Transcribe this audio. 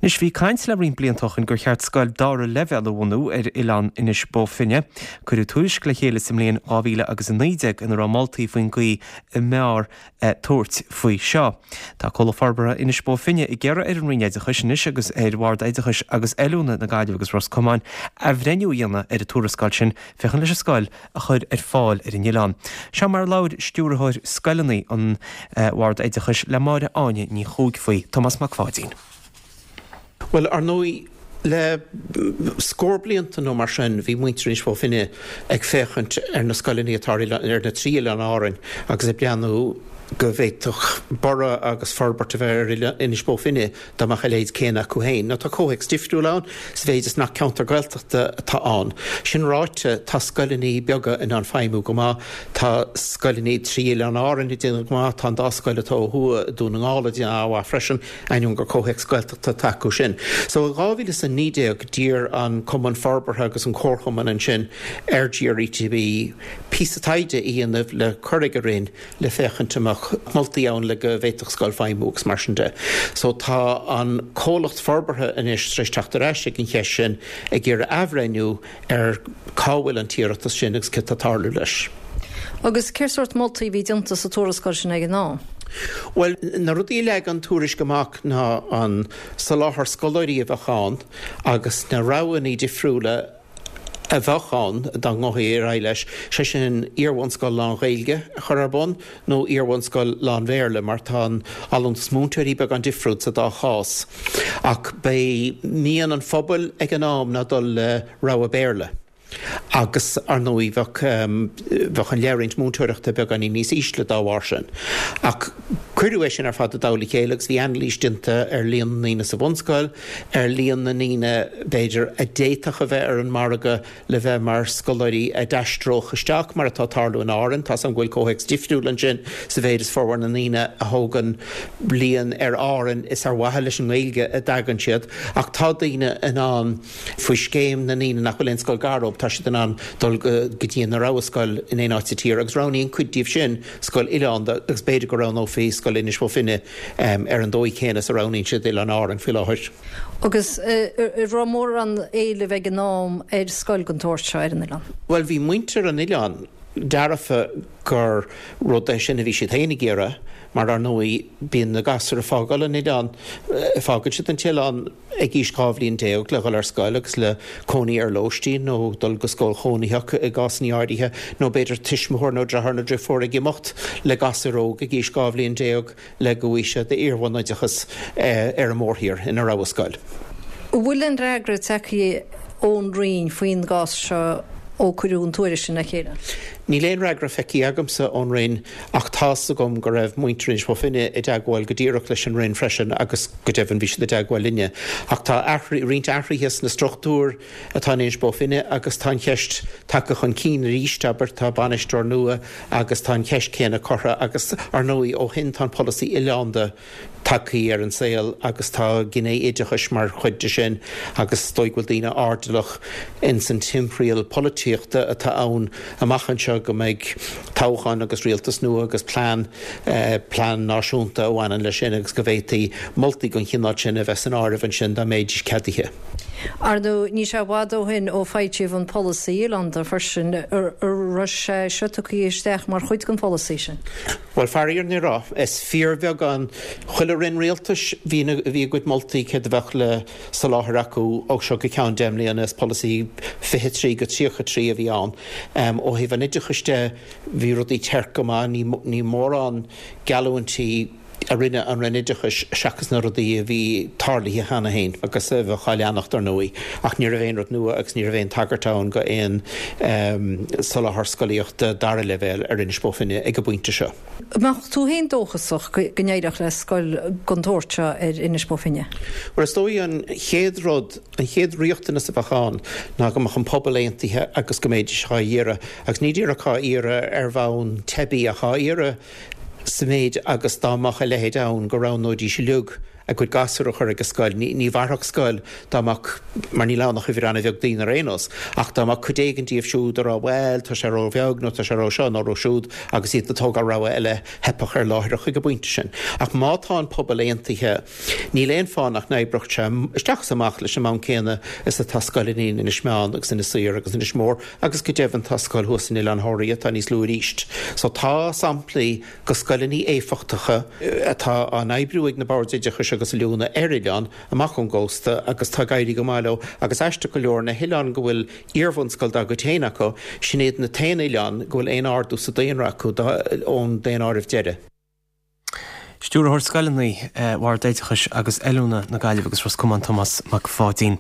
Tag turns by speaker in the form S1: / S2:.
S1: Anois, bhí caint le roinnt blianta ó shin gur cheart scoil dara leibhéal a bhunú ar oileán Inis Bó Finne. Cuireadh tuairisc le chéile sa mbliain 2019 ina raibh moltaí faoin gcaoi a mb'fhearr tabhairt faoi seo. Tá Comhlacht Forbartha Inis Bó Finne ag iarraidh ar an Roinn Oideachais anois agus ar Bhord Oideachais agus Oiliúna na Gaillimhe agus Ros Comáin athbhreithniú a dhéanamh ar an tuarascáil sin féachaint leis an scoil a chur ar fáil ar an oileán. Seo mar a labhair Stiúrthóir Scoileanna an Bhord Oideachais le Máire Áine Ní Chuaig faoi, Tomás Mac Pháidín.
S2: Bhuel, ar ndóigh, le scór blianta nó mar sin, bhí muintir Inis Bó Finne ag féachaint ar na scoileanna atá ar ar na trí oileán Árainn agus ag breathnú go bhféadfadh borradh agus forbairt a bheith ar Inis Bó Finne dá mbeadh a leithéid céanna acu féin. Now tá comhthéacs difriúil ann sa mhéid is nach ceantar Gaeltachta atá ann. Sin ráite, tá scoileanna beaga in ann feidhmiú go maith, tá scoileanna trí Oileáin Árann ag déanamh go maith, tá an dá scoil atá ó thuaidh i Dún na nGall ag déanamh an-mhaith freisin. ainneoin gur comhthéacs Gaeltachta atá acu sin. So in 2019 d'iarr an Cumann Forbartha agus an Comharchumann ansin ar GRETB píosa taighde a dhéanamh le cur ag an Roinn le féachaint an mbeadh moltaí ann le go bhféadfadh scoil feidhmiú agus mar sin de. So tá an comhlacht forbartha anois tar éis teacht ar ais ag an cheist sin ag iarraidh athbhreithniú ar cá bhfuil an t-iarratas sin agus céard atá ag tarlú leis.
S3: Agus cén sórt moltaí a bhí déanta sa tuarascáil sin ag an am?
S2: Bhuel, na rudaí a leag an tuairisc amach ná an soláthar scoláirí a bheadh ann agus na roghanna difriúla a bheadh ann dá ngabhfaí ar aghaidh leis, sé sin iarbhunscoil lán-Ghaeilge a chur ar bun nó iarbhunscoil lán-Bhéarla mar tá an allúntas múinteoirí beagán difriúil sa dá chás. Ach b'é mian an phobail ag an am ná dul le rogha Béarla. Agus, ar ndóigh, bheadh, bheadh an leithroinnt múinteoireachta beagáinín níos ísle dá bharr sin. Ach cuireadh é sin ar fad i dtoll a chéile agus bhí anailís déanta ar líon na ndaoine sa bhunscoil, ar líon na ndaoine, b'fhéidir, a d'fhéadfadh a bheith ar an margadh le bheith mar scoláirí a d'aistreodh isteach, mar atá ag tarlú in Árainn. Tá's agam go bhfuil comhthéacs difriúil ansin sa mhéid is formhór na ndaoine a thógann bliain ar Árainn is ar mhaithe leis an nGaeilge a dtagann siad, ach tá daoine in ann, faoi scéim na ndaoine nach bhfuil aon scoil gar dóibh, tá siad in ann dul go dtí a rogha scoil in aon áit sa tír agus roghnaíonn cuid díobh sin scoil oileánda agus b'fhéidir go roghnófaí scoil Inis Bó Finne ar an dóigh chéanna is a roghnaíonn siad Oileán Árann faoi láthair.
S3: Agus an raibh mórán éilimh ag an am ar scoil den tsórt seo ar an oileán?
S2: Bhuel, bhí muintir an oileáin dearfa gur rud é sin a bhí siad féin ag iarraidh, mar ar ndóigh bíonn na gasúir ag fágáil an oileáin, fágann siad an t-oileán ag aois 12 bhliain le dhul ar scoil agus le cónaí ar lóistín nó dul go scoil chónaitheach i gcásanna áirithe, nó b'fhéidir tuismitheoir nó deartháir nó driofúr ag imeacht le gasúr óg ag aois 12 bhliain le go bhfaighidh siad iarbhunoideachas ar an mórthír ina rogha scoil.
S3: An bhfuil aon fhreagra tagtha ón Roinn faoin gcás seo ó cuireadh an tuairisc sin le chéile?
S2: Níl aon fhreagra feicthe agamsa ón Roinn ach tá's agam go raibh muintir Inis Bó Finne i dteagmháil go díreach leis an Roinn freisin agus go deimhin bhí siad i dteagmháil linne. Ach tá roinnt athruithe sna struchtúir atá in Inis Bó Finne agus tá an cheist tagtha chun cinn arís, abair, tá bainisteoir nua agus tá an cheist chéanna curtha agus, ar ndóigh, ó shin tá an polasaí oileánda tagtha ar an saol agus tá gné oideachais mar chuid de sin agus is dóigh go bhfuil daoine airdeallach ins an timthriall polaitíochta atá ann amach anseo go mbeidh toghchán agus rialtas nua agus plean, plean náisiúnta a bhaineann leis sin agus go bhféadfaí moltaí den chineál sin a bheith san áireamh ansin dá mbeidís ceadaithe.
S3: Ar ndóigh, níl sé i bhfad ó shin ó foilsíodh an polasaí oileánda freisin. An raibh sé seo tugtha isteach mar chuid den pholasaí sin?
S2: Bhuel, faraor ní raibh. Is fíorbheagán. Chuile roinn rialtais, bhí bhí a gcuid moltaí céard a bheadh le soláthar acu ó seo go ceann 10 mbliana. Is polasaí 23-33 a bhí ann. Ó thaobh an oideachais de, bhí rudaí tearc go maith. Ní mórán geallúintí a rinne an Roinn Oideachais seachas na rudaí a bhí tarlaithe cheana féin agus a bheadh á leanacht, ar ndóigh. Ach ní raibh aon rud nua agus ní raibh aon tagairt ann go aon soláthar scolaíochta dara leibhéal ar Inis Bó Finne ag an bpointe seo.
S3: An mbeadh tú féin dóchasach go n-éireodh le scoil den tsórt seo ar Inis Bó Finne?
S2: Bhuel, is dóigh an chéad rud, an chéad riachtanas a bheadh ann ná go mbeadh an pobal aontaithe agus go mbeidís á iarraidh, agus ní díreach á iarraidh ar bhonn teibí ach á iarraidh sa mhéid agus dá mbeadh a leithéid ann go roghnóidís uilig. a gcuid gasúr a chur ag an scoil. Ní mhairfeadh scoil dá mbeadh, mar níl ann ach uimhir an-bheag daoine ar aon nós, ach dá mbeadh cuid éigin díobh siúd a rá bhuel, tá sé ró-bheag nó tá sé ró-seo nó ró-siúd agus iad ag tógáil rogha eile, theipfeadh air láithreach ag an bpointe sin. Ach má tá an pobal aontaithe, níl aon fáth nach n-oibreodh sé isteach is amach leis an mbonn céanna is atá scoileanna in Inis Meáin agus Inis Oírr agus Inis Mór agus go deimhin tá scoil thuas in Oileán Thoraí atá níos lú arís. So tá samplaí de scoileanna éifeachtacha atá á n-oibriú ag na Boird Oideachais agus Oiliúna ar oileán amach ón gcósta agus tá ag éirí go maith leo agus aisteach go leor na hoileáin go bhfuil iarbhunscoil dá gcuid féin acu, sin iad na t-aon oileáin go bhfuil aon ardú sa daonra acu ón daonáireamh deiridh.
S1: Stiúrthóir Scoileanna Bhord Oideachais agus Oiliúna na Gaillimhe agus Ros Comáin Tomás Mac Pháidín.